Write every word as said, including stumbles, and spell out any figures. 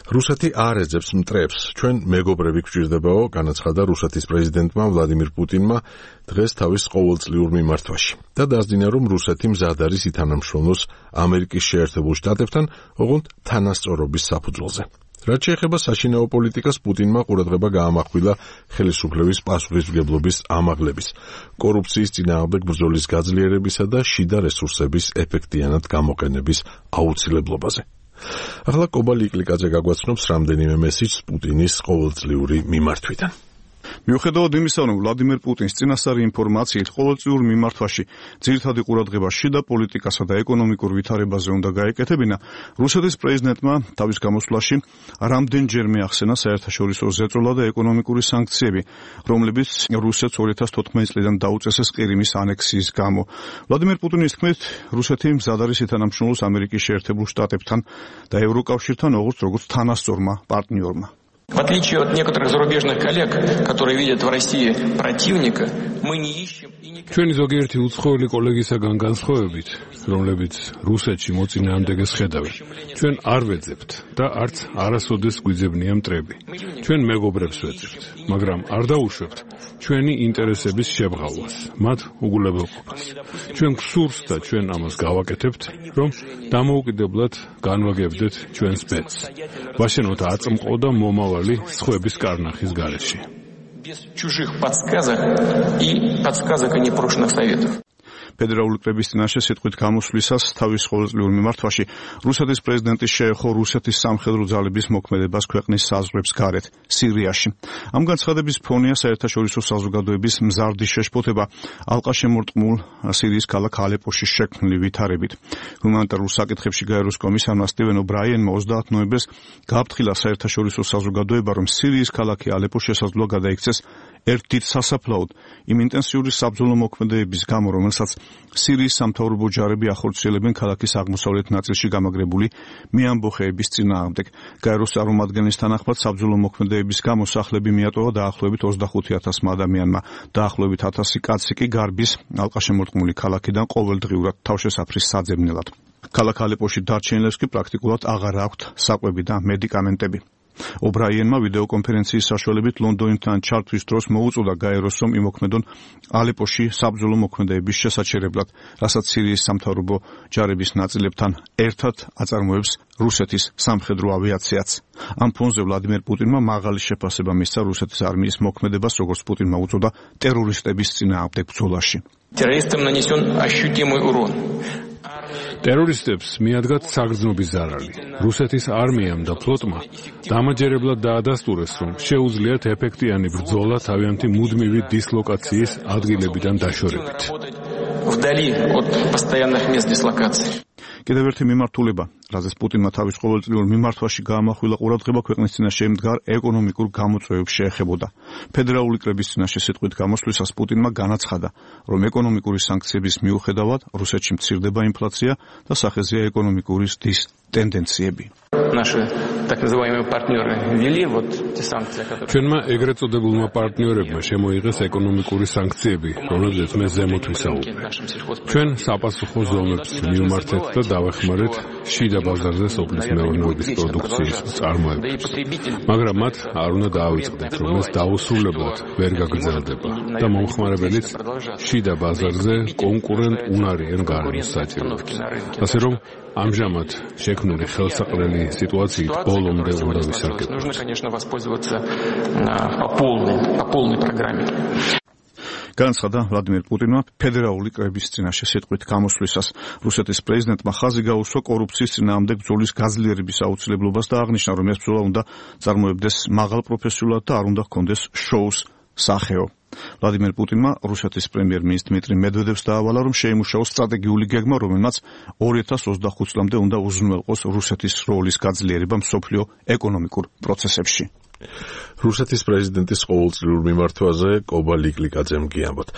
რუსეთი არ ეძებს მტრებს. ჩვენ მეგობრები გვჭირდებაო, განაცხადა რუსეთის პრეზიდენტმა ვლადიმირ პუტინმა დღეს თავის ყოველწლიურ მიმართვაში. და დასძინა, რომ რუსეთი მზად არის ითანამშრომლოს ამერიკის შეერთებულ შტატებთან, ოღონდ თანასწორობის საფუძველზე. რაც შეეხება საშინაო პოლიტიკას, პუტინმა ყურადღება გაამახვილა ხელისუფლების პასუხისმგებლობის ამაღლების, კორუფციის წინააღმდეგ ბრძოლის გაძლიერებისა და შიდა რესურსების ეფექტიანად გამოყენების აუცილებლობაზე. ახლა კობა ლიკლიკაძე გაგვაცნობს რამდენიმე მესიჯს პუტინის ყოველწლიური მიმართვიდან. მიუხედავად იმისა, რომ ვლადიმერ პუტინს წინასწარი ინფორმაციით ყოველწლიურ მიმართვაში ძირითადი ყურადღება შიდა პოლიტიკასა და ეკონომიკურ ვითარებაზე უნდა გაეკეთებინა, რუსეთის პრეზიდენტმა თავის გამოსვლაში რამდენჯერმე ახსენა საერთაშორისო ზეწოლა და ეკონომიკური სანქციები, რომლებიც რუსეთს ორი ათას თოთხმეტი წლიდან დაუწესეს ყირიმის ანექსიის გამო. ვლადიმერ პუტინის თქმით, რუსეთი მზად არის ითანამშრომლოს ამერიკის შეერთებულ შტატებთან და ევროკავშირთან, როგორც თანასწორმა პარტნიორმა. В отличие от некоторых зарубежных коллег, которые видят в России противника, мы не ищем и не... ჩვენი ზოგიერთი უცხოელი კოლეგისაგან განსხვავებით, რომლებიც რუსეთში მოწინააღმდეგეს ხედავენ, ჩვენ არ ვეძებთ და არც არასოდეს გვიძებნია მტრები. ჩვენ მეგობრებს ვეძებთ, მაგრამ არ დაუშვებთ ჩვენი ინტერესების შებღალვას, მათ უგულებელყოფას. ჩვენ გსურს და ჩვენ ამას გავაკეთებთ, რომ დამოუკიდებლად განვაგებდეთ ჩვენს ბედს. ვაშენოთ აწმყო და მომავალი სხვების კარნახის გარეშე. Без чужих подсказок и подсказок и непрошенных советов. ფედერალური კრების წინაშე სიტყვით გამოსვლისას თავის ყოველწლიურ მიმართვაში რუსეთის პრეზიდენტი შეეხო რუსეთის სამხედრო ძალების მოქმედებას ქვეყნის საზღვრებს გარეთ, სირიაში. ამ განცხადების ფონია საერთაშორისო საზოგადოების მზარდი შეშფოთება ალყაშემორტყმულ სირიის ქალაქ ალეპოში შექმნილი ვითარებით. ჰუმანიტარულ საკითხებში გაეროს კომისარმა სტივენ ობრაიენმა ოცდაათ ნოემბერს გააფრთხილა საერთაშორისო საზოგადოება, რომ სირიის ქალაქი ალეპო შესაძლოა გადაიქცეს ერთ დიდ სასაფლაოდ იმ ინტენსიური საბრძოლო მოქმედებების გამო, რომელსაც სირიის სამთავრობო ჯარები ახორციელებენ ქალაქის აღმოსავლეთ ნაწილში გამაგრებული მეამბოხეების წინააღმდეგ. გაეროს წარმომადგენლის თანახმად საბრძოლო მოქმედებების გამო სახლები მიატოვა დაახლოებით ოცდახუთი ათასმა ადამიანმა, დაახლოებით ათასი კაცი კი გარბის ალყაშემორტყმული ქალაქიდან ყოველდღიურად თავშესაფრის საძებნელად. ქალაქ ალეპოში დარჩენილებს კი პრაქტიკულად აღარ აქვთ საკვები და მედიკამენტები. ობრაიენმა ვიდეოკონფერენციის საშუალებით ლონდონიდან ჩართვის დროს მოუწოდა გაეროს, რომ იმოქმედონ ალეპოში საბრძოლო მოქმედებების შესაჩერებლად, რასაც სირიის სამთავრობო ჯარების ნაწილებთან ერთად აწარმოებს რუსეთის სამხედრო ავიაციაც. ამ ფონზე ვლადიმერ პუტინმა მაღალი შეფასება მისცა რუსეთის არმიის მოქმედებას, როგორც პუტინმა უწოდა, ტერორისტების წინააღმდეგ ბრძოლაში. Террористам нанесен ощутимый урон. ტერორისტებს მიადგათ საგრძნობის ზარალი. რუსეთის არმიამ და ფლოტმა დამაჯერებლად დაადასტურეს, რომ შეუძლიათ ეფექტიანი ბრძოლა თავიანთი მუდმივი დისლოკაციის ადგილებიდან დაშორებით. Вдали от постоянных мест дислокации. კიდევ ერთი მიმართულება, რაზეც პუტინმა თავის ყოველწლიურ მიმართვაში გაამახვილა ყურადღება, ქვეყნის წინაშე მდგარ ეკონომიკურ გამოწვევებს შეეხებოდა. ფედერალური კრების წინაშე სიტყვით გამოსვლისას პუტინმა განაცხადა, რომ ეკონომიკური სანქციების მიუხედავად რუსეთში მცირდება ინფლაცია და სახეზეა ეკონომიკური ზრდის ტენდენციები. Наши так называемые партнеры ввели вот те санкции, которые... ჩვენმა ეგრეთ წოდებულმა პარტნიორებმა შემოიღეს ეკონომიკური სანქციები, რომლებზეც მე ზემოთ ვისაუბრე. ჩვენ საპასუხო ზომებს მივმართეთ და დავეხმარეთ შიდა ბაზარზე სოფლის მეურნეობის პროდუქციის წარმოებებს. მაგრამ მათ არ უნდა დაავიწყდეთ, რომ ეს დაუსრულებლად ვერ გაგრძელდება და მომხმარებელიც შიდა ბაზარზე კონკურენტ უნარიან გარემოს საჭიროებს. ასე რომ ამჟამად შექმნილი ხელსაყრელი სიტუაციით ბოლომდე უნდა ვისარგებლოთ. Нужно, конечно, воспользоваться по полной, по полной программе. განაცხადა ვლადიმერ პუტინმა ფედერალური კრების წინაშე სიტყვით გამოსვლისას. რუსეთის პრეზიდენტმა ხაზი გაუსვა კორუფციის წინააღმდეგ ბრძოლის გაძლიერების აუცილებლობას და აღნიშნა, რომ ეს ბრძოლა უნდა წარმოებდეს მაღალ პროფესიულად და არ უნდა ჰქონდეს შოუს სახეო. ვლადიმერ პუტინმა რუსეთის პრემიერ-მინისტრ დმიტრი მედვედევს დაავალა, რომ შეიმუშაოს სტრატეგიული გეგმა, რომელმაც ორი ათას ოცდახუთ წლამდე უნდა უზრუნველყოს რუსეთის როლის გაძლიერება მსოფლიო ეკონომიკურ პროცესებში. რუსეთის პრეზიდენტის ყოველწლიურ მიმართვაზე კობა ლიკლიკაძემ გიამბოთ.